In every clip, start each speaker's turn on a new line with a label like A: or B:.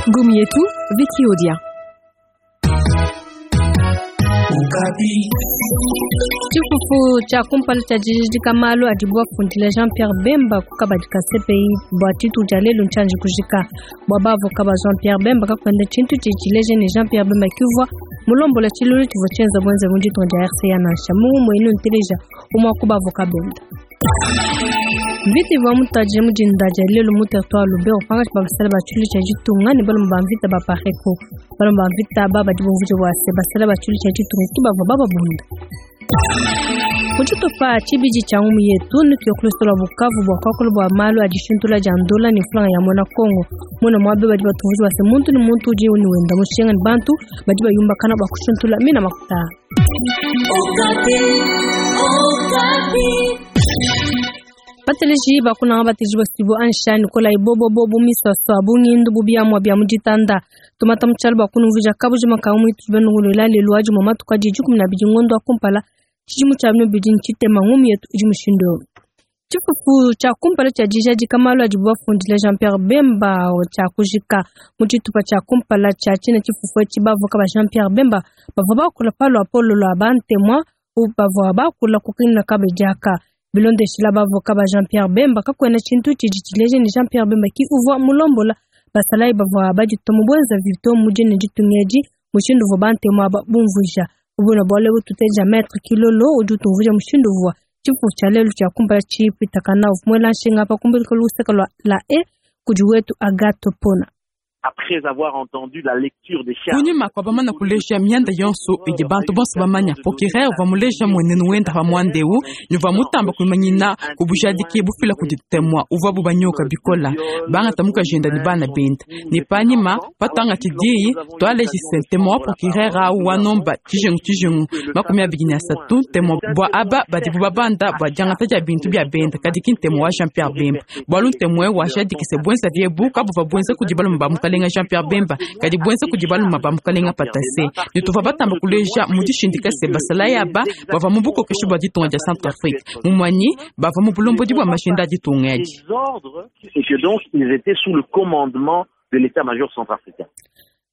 A: Ngumu yetu Vicky Odia.
B: Tshifufu tshia kumpala tshia dijidika malu adibu bafundile Jean Pierre Bemba ku kabadi ka CPI bua tshitu tshia lelu ntshianji kujika bua bavoka ba Jean Pierre Bemba kakuenda tshintu tshidi tshileja ne Jean Pierre Bemba kivua mulombola tshilulu tshivua tshienza buenze mu ditunga dia RCA nansha mu muenu nteleja umue wa ku bavoka benda. Mvita ivua mutuadije mu dinda dia lelu mu territoire Lubero pankatshi pa basala ba tshilu tshia ditunga ne balume ba mvita ba Pareko. Balume ba mvita aba badi bumvuija bua se basala ba tshilu tshia ditunga ki bavua bababunda. Mu tshitupa tshibidi tshia ngumu yetu nutuye ku luseke lua Bukavu bua kuakula bua malu a dishintula dia ndola ne mfranga ya muena Kongo. Muena muaba badi batumvuija bua se muntu ne muntu udi ne wenda mushinga ne bantu badi bayumbakana bua kushintula mina makuta. Bateleji bakunanga bateleji basibu ansha Nikolai bobo bobo miswaswa bungindu bubiamua bia mu ditanda tumata mu tshialu bua kunumvuija kabujima ka mu itu benunguluila lelu adi mu matuku adi 12 ngondo wa kumpala tshidimu tshia bibidi ntshitema ngumu yetu idi mushindu eu. Tshifufu tshia kumpala tshia dijadika malu adibu bafundile Jean Pierre Bemba tshia kujika mu tshitupa tshia kumpala tshia tshina tshifufu etshi bavoka ba Jean Pierre Bemba bavua bakula pa luapolo lua bantemua bavua bakula ku kina kabedi aka. Bilondeshila bavoka ba Jean Pierre Bemba kakuena tshintu tshidi tshileja ne Jean Pierre Bemba ki uvua mulombola basalayi bavua baditua mu buenza vito mu dine ditunga edi mushindu uvua bantemu aba bumvuija. Ubuna bualu ebu tuteja Maître Kilolo udi utumvuija mushindu uvua tshifufu tshia lelu tshia kumpala tshipitakana uvua muela nshinga pa kumbeleka luseke lua la e kudi wetu Agathe Pona.
C: Après avoir entendu la lecture des charges.
D: Kunyima kua bamana kuleja mianda yonso idi bantu bonso bamanya, procureur uvua muleja mmuenenu wenda pa muanda eu ne uvua mutamba kuimanyina ku bujadiki bufila kudi temua uvuabu banyoka bikola bangata mukajenda ne bana benda. Ne panyima patuangatshi diyi tualeji se ntema wa procureur au wa nomba tshijengu tshijengu 23 ntema bua aba badibu babanda bua diangata dia bintu bia benda, kadi ki ntema wa Jean Pierre Bemba bualu ntema eu wajadiki se buenzavi ebu kabuvua buenza kudi balume ba mukalenga Jean Pierre Bemba kadi buenza kudi balume ba mukalenga Patasse. Ne tuvua batamba kuleja mu dishindika se basalayi aba bavua mu bukokeshi bua ditunga dia Centrafrique mumwanyi bavua mu bulombodi bua mashinda a ditunga edi.
C: Des ordres et que donc ils étaient sous le commandement de l'état-major centrafricain.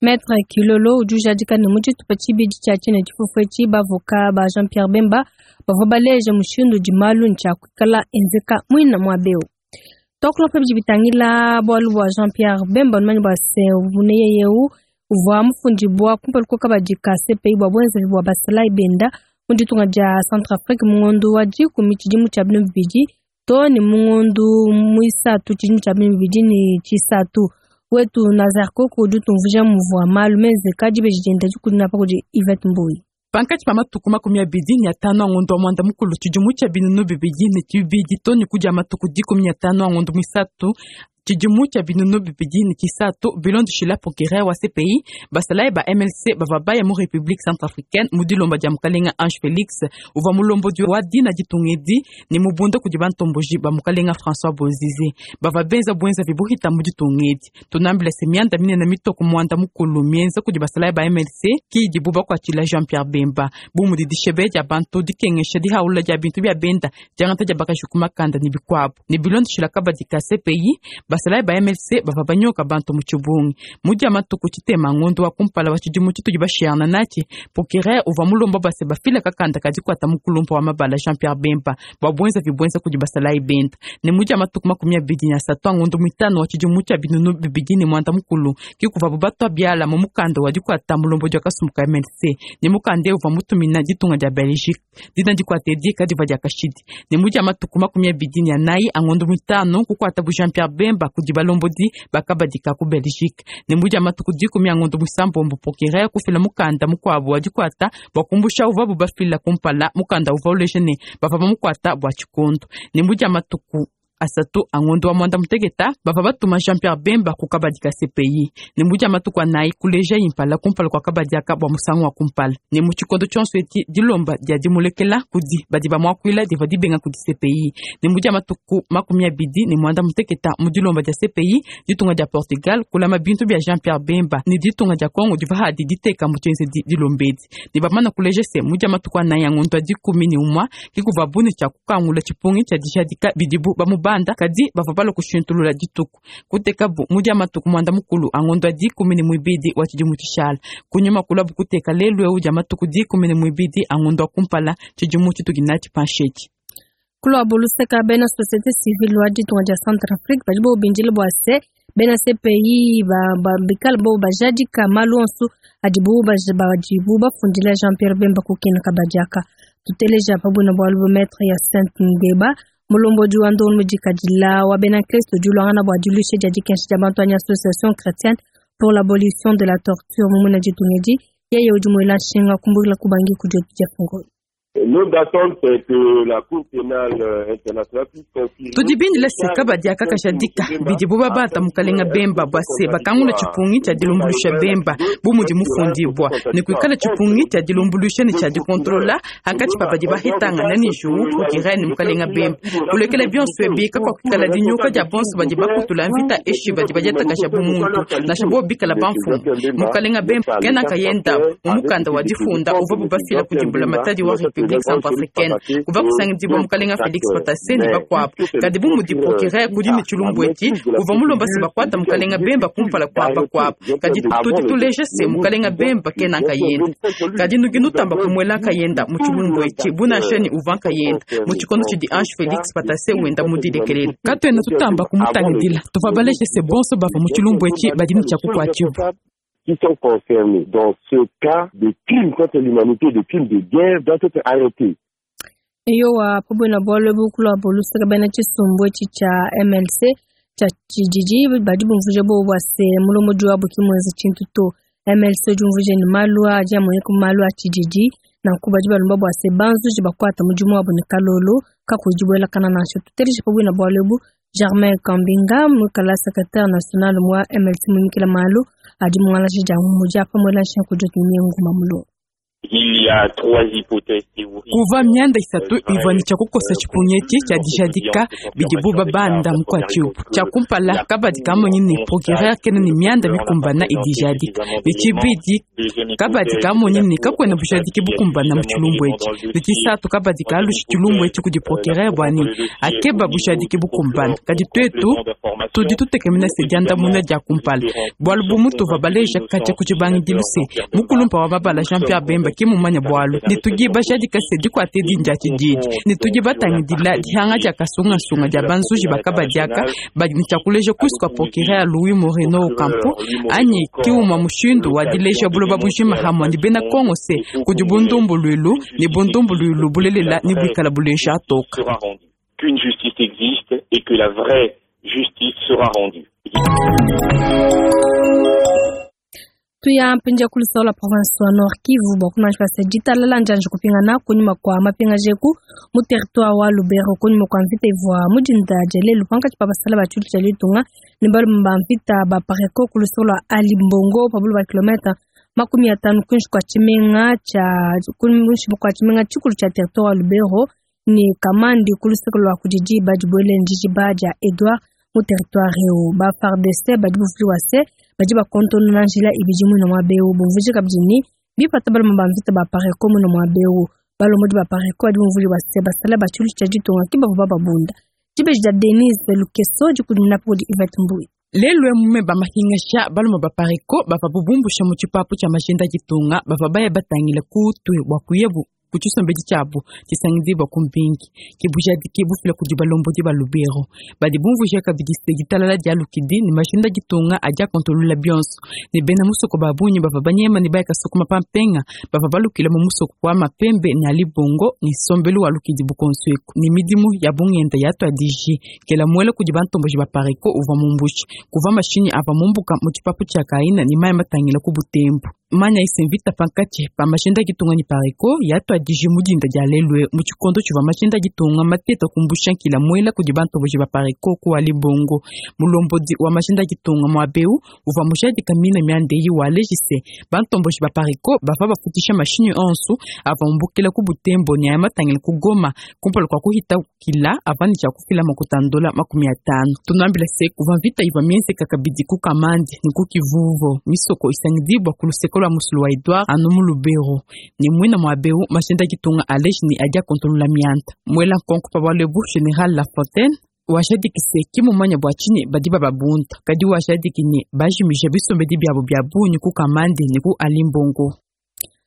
B: Maître Kilolo udi ujadika ne mu tshitupa tshibidi tshia tshina tshifufu etshi bavoka ba Jean Pierre Bemba bavua baleja mushindu udi malu ne tshia kuikala enzeka muina muaba eu. Tuakula pa bidi bitangila bualu bua Jean Pierre Bemba numanye bua se buneye eu uvua mufundibua kumpala kwa kabadi ka CPI bua buenzavi bua basalayi benda mu ditunga dia Centrafrique mu ngondo wa 10 tshidimu tshia 2000 to ne mu ngondo muisatu tshidimu tshia 2003. Wetu Nazar Koko udi utumvuija muvua malu menzeka dibeji dienda dikudina pa kudi Yvette Mbuyi.
D: Pankatshi pa matuku 25 a ngondo wa mwanda mukulu tshidimu tshia 2002 to ne kudia matuku 15 a ngondo muisatu tshidimu tshia 2003 bilondeshila procureur wa CPI basalayi ba MLC bavua baya mu République centrafricaine mu dilomba dia mukalenga Ange Félix uvua mulombodi wa dina ditunga edi ne mubunda kudi bantomboji ba mukalenga François Bozize bavua benza buenzavi buhita mu ditunga edi. Tunambila se mianda minene mitoko mwanda mukulu mienza kudi basalayi ba MLC ki idibu bakuatshila Jean Pierre Bemba bu mudi dishebe dia bantu dikengesha dihaula dia bintu bia benda diangata dia bakaji ku makanda ne bikuabu ne bilondeshila kabadi ka CPI basalayi ba MLC bavua banyoka bantu mu tshibungi mudia matuku tshitema ngondo wa kumpala wa tshidimu tshitudi bashiana natshi. Procureur uvua mulomba base bafila kakanda kadi kuata mukulumpa wa mabala Jean Pierre Bemba bua buenzavi buenza kudi basalayi benda ne mudia matuku 23 a ngondo muitanu wa tshidimu tshia 2010 kikuvabu batua biala mu mukanda wa dikuata mulombodi wa kasumbu ka MLC ne mukanda eu uvua mutumina ditunga dia Belgique dina dikuata edi kadivua dia kashidi ne mudia matuku 24 a ngondo muitanu kukuata bu Jean Pierre Bemba kudi balombodi bakabadika ku Belgique ne mudia matuku 10 a ngondo muisambombo procureur kufila mukanda mukuabu wa dikuata bua kumbusha uvuabu bafila kumpala mukanda uvua uleja ne bavua bamukuata bua tshikondo ne mudia matuku 3 a ngondo wa mwanda muteketa bavua batuma Jean Pierre Bemba ku kabadi ka CPI ne mudia matuku anayi kuleja impala kumpala kua kabadi aka bua musangu wa kumpala ne mu tshikondo tshionso eti dilomba dia dimulekela kudi badi bamuakuila divua dibenga kudi CPI ne mudia matuku 28 mu dilomba dia CPI ditunga dia Portugal kulama bintu bia Jean Pierre Bemba ne ditunga dia Kongo divua hadi diteka mu tshienzedi dilombedi ne bamana kuleja se mudia matuku anayi a ngondo wa 11 kikuvua bune tshia kukangula tshipungi tshia dijadika bidibu bamubanda. babanda kadi bavua balua kushintulula dituku kutekabu mu dia matuku muanda mukulu a ngondo wa 12 wa tshidimu tshishala kunyima kulabu kuteka lelu eu dia matuku 12 a ngondo wa kumpala tshidimu tshitudi natshi panshi etshi.
B: Kulua luseka bena société civile wa ditunga dia Centrafrique badi bobindile bua se bena CPI bikale bo bajadika malu onso adibu badibu bafundila Jean-Pierre Bemba kukena kabadiaka. Tuteleja pabuna bualu bu maître ya Saint Ngeba, mulombodi wa ndongo mudikadila wa bena Kristo diluangana bua diluisha dia dikensha dia bantu anyi Association chrétienne pour l'abolition de la torture mumuna ditunga edi, yeye udi muela nshinga kumbukila kubangi kudiotu dia fungolo.
E: Notre attente, c'est que la Cour pénale internationale puisse confirmer.
D: Tudi bindile se kabadi akakashadika bidibu babata mukalenga Bemba bua se bakangula tshipungi tshia dilumbuluisha Bemba bu mudi mufundibwa ne kuikala tshipungi tshia dilumbuluisha ne tshia dikontrola hankatshi pa badi bahitangana ne juwu procureur ne mukalenga Bemba. Kulekela bionso ebi kakuakukala dinyuka dia bonso badi bakutula mvita eshi badi badiatakasha bu muntu nansha bo bikala bamfumu. Mukalenga Bemba kena kayenda mu mukanda wa difunda uvua bubafila kudi mbulamatadi wa République centrafricaine kuva kusangidibwa mukalenga Félix Patasse ne bakuabu. Kadi bu mudi procureur kudi ne tshilumbu etshi uva mulomba se bakuata mukalenga Bemba kumpala kua bakuabu, kadi tudi tuleja se mukalenga Bemba kena nkayenda. Kadi nuki nutamba kumuela nkayenda mu tshilumbu etshi bunansha ni uva nkayenda mu tshikondo tshidi Ange Félix Patasse wenda mudilekelele, katuena tutamba kumutangidila. Tuvua baleje se bonso bava mu tshilumbu etshi badi ne tshia kukuatshibua.
E: Qui sont concernés dans ce cas de crimes contre l'humanité, de crimes de guerre, doivent être arrêtés.
B: Eyowa, pabwena bualu ebu kulua buluseka bena tshisumbu etshi tshia MLC tshia tshididi badi bumvuija bobu bua se mulombodi wabu ki muenza tshintu to. MLC udi umvuija ne malu adi amueneka mu malu a tshididi, nanku badi balomba bua se banzuji bakuata mudimu wabu ne kalolo kakuyi dibuelakana nansha. Tuteleje pabwena bualu ebu Germain Kambinga, muikala secrétaire national wa MLC mumikila malu adi mungalaji dia mudi apa muela nshinku diotu nguma mulongo.
F: Il y a trois hypothèses théoriques.
D: Kuva mianda isatu ivua ne tshia kukosa tshipungi etshi tshia dijadika bidibu babanda mukuatshibu. Tshia kumpala, kabadi kamonyi ne procureur kena ne mianda mikumbana idijadika. Ne tshibidi, kabadi kamonyi ne kakuena bujadiki bukumbana mu tshilumbu etshi. Ne tshisatu, kabadi kalushi tshilumbu etshi kudi procureur bua ne akeba bujadiki bukumbana. Kadi tuetu tudi tutekemena se diandamuna dia kumpala, bualu bu mutuva baleja katshia ku tshibangidilu se mukulumpa wa mabala Jean-Pierre Bemba ke mumanya bualu, ne tudi bajadika se dikuate dindi tshididi, ne tudi batangidila dihanga dia kasungasunga dia banzuji bakabadiaka badi ne tshia kuleja kusu kua procureur Louis Moreno Ocampo anyi kiuma mushindu wa dileja buloba bujima hamwe ne bena Kongo se kudi bundumbuluilu ne bundumbuluilu bulelela ne buikala buleja atoka.
F: Sera rendue. Qu'une justice existe et que la vraie justice sera rendue.
B: Tuya mpindia kulisola province wa Nord Kivu bua kumanyisha se ditalala njanji kupingana kunyima kua mapingaji eku mu territoire wa Lubero kunyima kua mvita ivua mudinda dia lelu pankatshi pa basala ba tshilu tshia litunga ne balume ba mvita ba Apareco kulisola Ali Mbongo pa bulu ba kilomètre 50 kuinshi kua tshimenga tshia kuinshi kua tshimenga tshikulu tshia territoire wa Lubero ne Kamandi kuluseke lua kudidi badibuele ndijiba dia Edouard mu territoire eu. Ba FARDC badi buvuliwa se badi bakontonona njila ibidi mwina mwa beu bumvuije kabidi ni bipata balume ba mvita ba Apareco mwina mwa beu balomodi ba Apareco badi bumvuliwa se basala ba tshilu tshia ditunga ki bavua bababunda. Dibeji dia Denise Lukeso dikudimina podi Yvette Mbui.
D: Lelu emume bamahingasha balume ba Apareco bava bubumbusha mu tshipapu tshia majinda ditunga bava baya batangile kutue bua kuyebu ku tshisombedi tshiabu tshisangidibwa ku mbingi kibujadiki bufila kudi balombodi ba Lubero. Badi bumvuija kabidi se ditalala dia lukidi ne majinda ditunga adi akontolola bionso ne bena musoko ba bungi bava banyema ne bayaka sukuma pa mpenga bava balukila mu musoko wa mapembe ne alibongo ne sombelu wa lukidi bukonso eku ne midimu ya bungenda ya twadishi kela muela kudi bantomboji ba Apareco uvua mumbushi kuva mashinyi ava mumbuka mu tshipapu tshia kaina ne mayi matangila ku Butembo. Manya isemvita pankatshi pa mashinda ditunga ne Apareco ya twadishi mudinda dia lelu mu tshikondo tshivua mashinda ditunga mateta kumbusha nkila muela kudi bantomboji ba Apareco ku alibongo. Mulombodi wa mashinda ditunga muabeu uvua mujadika mina miandeyi wa lejise bantomboji ba Apareco bava bafutisha mashinyi onso ava mumbukila ku Butembo ne aya matangila ku Goma kumpala kua kuhita kila ava ne tshia kufila makutandola 50. Tunambila se kuva mvita ivua mienzeka kabidi ku Kamandi ne ku Kivuvo misoko isangidibwa ku luseke lua musulu wa Edouard anu mu Lubero ne mwina muabeu mashinda ditunga aleji ne adi akontolola mianda. Muela nkonko pa bualu ebu General Lafontaine Wajadiki se ki mumanya bua tshinyi badi bababunda, kadi wajadiki ne bajimija bisombedi biabu bia bungi ku Kamandi ne ku Alimbongo.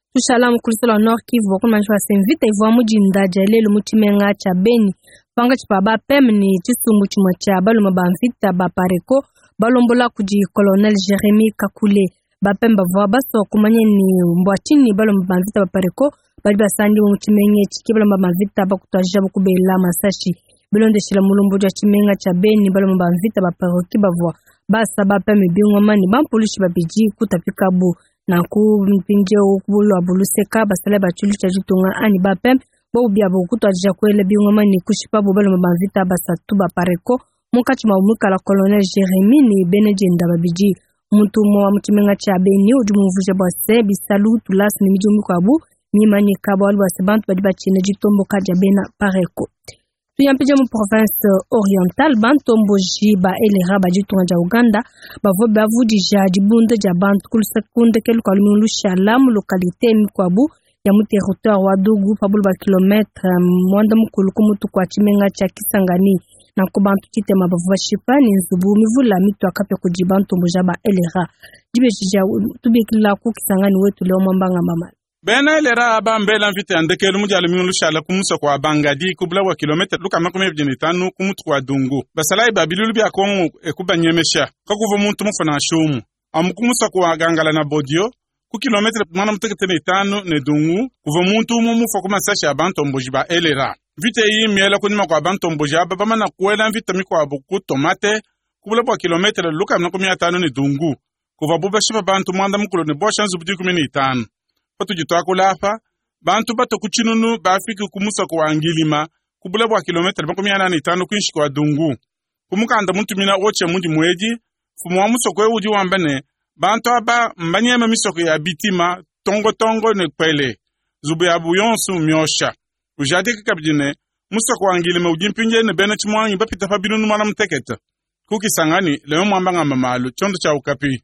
B: Tushala mu kulusela wa Nord Kivu bua kumanyisha bua se mvita ivua mu dinda dia lelu mu tshimenga tshia Beni pankatshi pa ba PEM ne tshisumbu tshimue tshia balume ba mvita ba Pareco balombola kudi Colonel Jeremy Kakule. Ba PEM bavua basua kumanya ne mbua tshinyi balume ba mvita ba Pareco badi basangibua mu tshimenga etshi ke balume ba mvita bakutuadija kubela masashi. Bilondeshila mulombodi wa tshimenga tshia Beni, balume ba mvita ba Pareco bavua basa ba PEM bingoma ne bampulushi babidi kutapikabu. Nanku mpindieu ku luseka basalayi ba tshilu tshia ditunga anyi ba PEM bobu biabu kutuadija kuela bingoma ne kushipabu balume ba mvita basatu ba Pareco munkatshi mua muikala Colonel Jeremy ne bena dienda babidi. Muntu umue wa mu tshimenga tshia Beni udi mumvuija bua se bisalu, tulasa ne midimu mikuabu mimanyika bualu bua se bantu badi batshina ditomboka dia bena Pareco. Tuyampija mu province orientale, bantomboji ba elera ba ditunga dia Uganda bavua bavudija dibunda dia bantu ku ndekelu kua lumingu lushala mu localité mikuabu ya mu territoire wa Dugu pa bule bua kilometre 90 ku mutu kua tshimenga tshia Kisangani. Nanku bantu tshitema bavua bashipa ne nzubu mivula mitua kapia kudi bantomboji ba elera. Dibeji tubikila ku Kisangani wetu leo mwambanga mama.
G: Bena elera aba mbela mvita ya ndekelu mu dia lumingu lushala ku musoko wa Bangadi ku bula bua kilometre lukama makumi abidi ne itanu ku mutu kua Dungu. Basalayi ba bilulu bia Kongo ekubanyemesha kakuva muntu mufuna nshumu. Amu ku musoko wa Gangala na Bodio ku kilometre 95 ne Dungu kuva muntu umue mufa ku masashi a bantomboji ba elera. Mvita eyi miela kunyima kua bantomboji aba bamana kuela mvita mikuabu ku Tomate ku bula bua kilometre lukama makumi atanu ne Dungu kuva bubashipa bantu 95 ne bosha nzubu 15. Patudi tuakula apa bantu bato ku tshinunu bafiki ku musoko wa Ngilima ku bula bua kilometre 45 kuinshi kua Dungu. Kumukanda mutumina oche mudi mwedi fumu wa musoko ewu udi wamba ne bantu aba mbanyema misoko ya bitima tongotongo ne kwele zubu ya buyonsu myosha. Ujadika kabidi ne musoko wa Ngilima udi mpinje ne bena tshimwangi bapita pa binunu mwana mutekete. Ku Kisangani leo mwamba ngamba malu tshiondo tshia Okapi.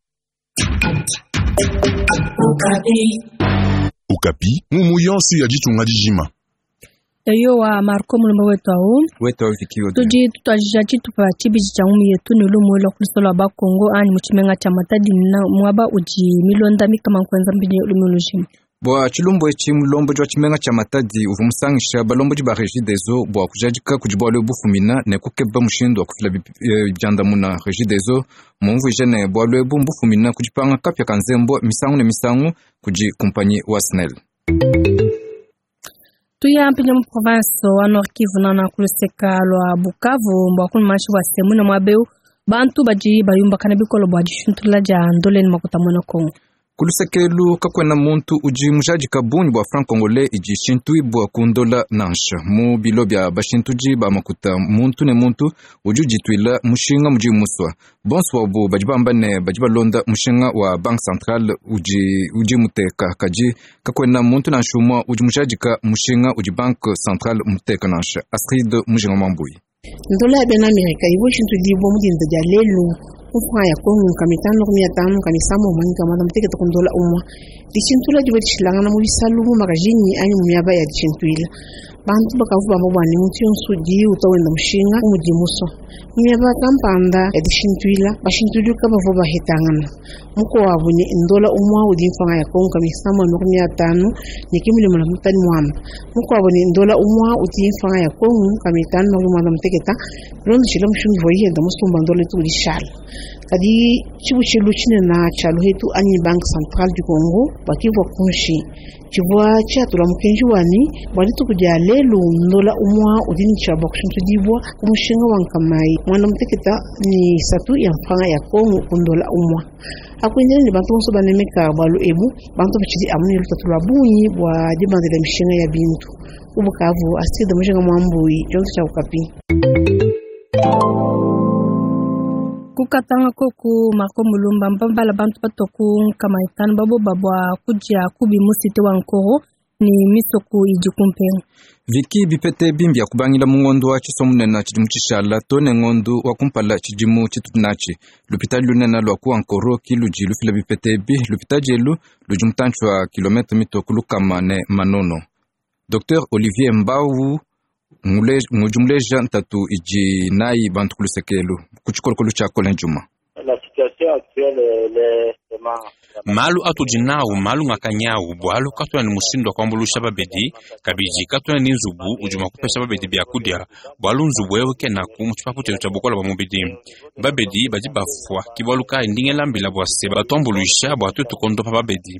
H: Okapi, mumu yonsu ya ditunga dijima.
B: Eyo wa Marco mulumba wetu awu.
I: Wetu awu Vicky Odile.
B: Tudi tutwajija tshitupa tshibidi tshia ngumu yetu ne lumu lwa kulusolo lwa Bakongo anyi mu tshimenga tshia Matadi na muaba udi milonda mikama nkuenza mpindieu lumu lujima.
I: Bua tshilumbu etshi mulombodi wa tshimenga tshia Matadi uvua musangisha balombodi ba Regideso bua kujadika kudi bualu bufumina ne kukeba mushindu wa kufila biandamuna. Regideso mumvuije ne bualu ebu mbufumina ku dipanga kapia ka nzembo misangu ne misangu kudi kumpanyi wa SNEL.
B: Tuya mpindieu mu province wa Nord Kivu nana kuluseka lwa Bukavu mbua kunumashi bua semu ne muaba eu bantu badi bayumbakana bikolo bua dishuntula dia ndoleni makuta muena Kongo.
I: Kulusekelu kakwena muntu udi mujadika bungi bua franc congolais idi shintuibua kundola nansha mu bilo bia bashintudi ba makuta muntu ne muntu udi udituila mushinga mudi muswa. Bonso wabu badi bamba ne badi balonda mushinga wa Banque Centrale udi udi muteka kadi kakwena muntu nansha umue udi mujadika mushinga udi Banque Centrale muteka nansha. Astrid Mujinga Mwambui.
J: Ndola ya bena Amerika ivua shintudibua mu dinda dia lelu ku franc ya Kongo nkama itanu makumi atanu nkama isambombo nkama muanda-mutekete ku ndola umue. Dishintula divua dishilangana mu bisalu mu makajinyi anyi mu miaba ya dishintuila. Bantu bakavua bamba bua ne muntu yonso udi uta wenda mushinga bu mudi musua. Mu miaba kampanda ya dishintuila, bashintudi kabavua bahetangana. Mukuabu ne ndola umue udi mfranga ya Kongo nkama isambombo makumi atanu ne kimulimo na mutani muamba. Mukuabu ne ndola umue udi mfranga ya Kongo nkama itanu makumi muanda-mutekete bilondeshile mushindu uvua yenda musumba ndola itu udishala. Kadi tshibutshilu tshinene tshia luhetu anyi Banque Centrale du Congo bakivua kunshi tshivua tshiatula mukenji wani bua dituku dia lelu ndola umue udi ne tshia bua kushintudibua ku mushinga wa nkama muanda-mutekete ne isatu ya mfranga ya Kongo ku ndola umue. Akuendela ne bantu bonso banemeka bualu ebu, bantu batshidi amu ne lutatu lua bungi bua dibandila mishinga ya bintu. Ku Bukavu, Astrid Mujinga Mwambui, tshiondo tshia Okapi.
B: Kukatanga koku Marco Mulumba mbambala bantu batoku nkama itanu baboba bua kudia kubi musite wa Nkoro ni misoko idi kumpenga.
I: Viki bipete bimbi ya kubangila mu ngondo wa tshisomunene tshidimu tshishala to ne ngondo wa kumpala tshidimu tshitunachi. Lupitali lunene lua ku Nkoro ki ludi lufila bipete bi lupitali elu ludi mutantshi wa kilometre mitoku lukama ne manono. Dr Olivier Mbau ngudi muleja ntatu idi nayi bantu ku luseke elu ku tshikolokolo tshia Colin Djuma.
K: Malu atudi nawu malu ngakanyawu bualu katuena ne mushindu wa kuambuluisha babedi, kabidi katuena ne nzubu udi mua kupesha babedi biakudia, bualu nzubu eu kenaku mu tshipapu tshietu tshia bukole bua mubidi. Babedi badi bafua, ke bualu kayi ndi ngela mbila bua se batuambuluisha bua tuetu kuondopa babedi,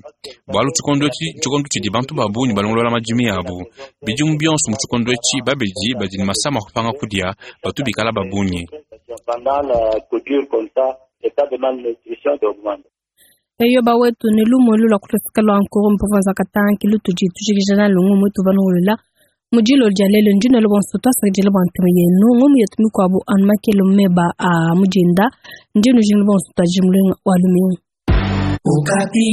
K: bualu tshikondo etshi ntshikondo tshidi bantu ba bungi balongolola madimi abu. Bidimu bionso mu tshikondo etshi babedi badi ne masama a kupanga kudia batu bikala ba bungi.
B: Eyo bawetu ne lumu elu lua kuluseka lua nkuru mpuvanza katanki lutudi tujikija nalu ngumu ituvanungulula mu dilolo dia lelu. Ndi nuela bonso tuasakidila bua ntema yenu. Ngumu yetu mikuabu anu makelo meba a mudinda. Ndi nujingila bonso tuajimulunga wa lumingu.
L: Okapi.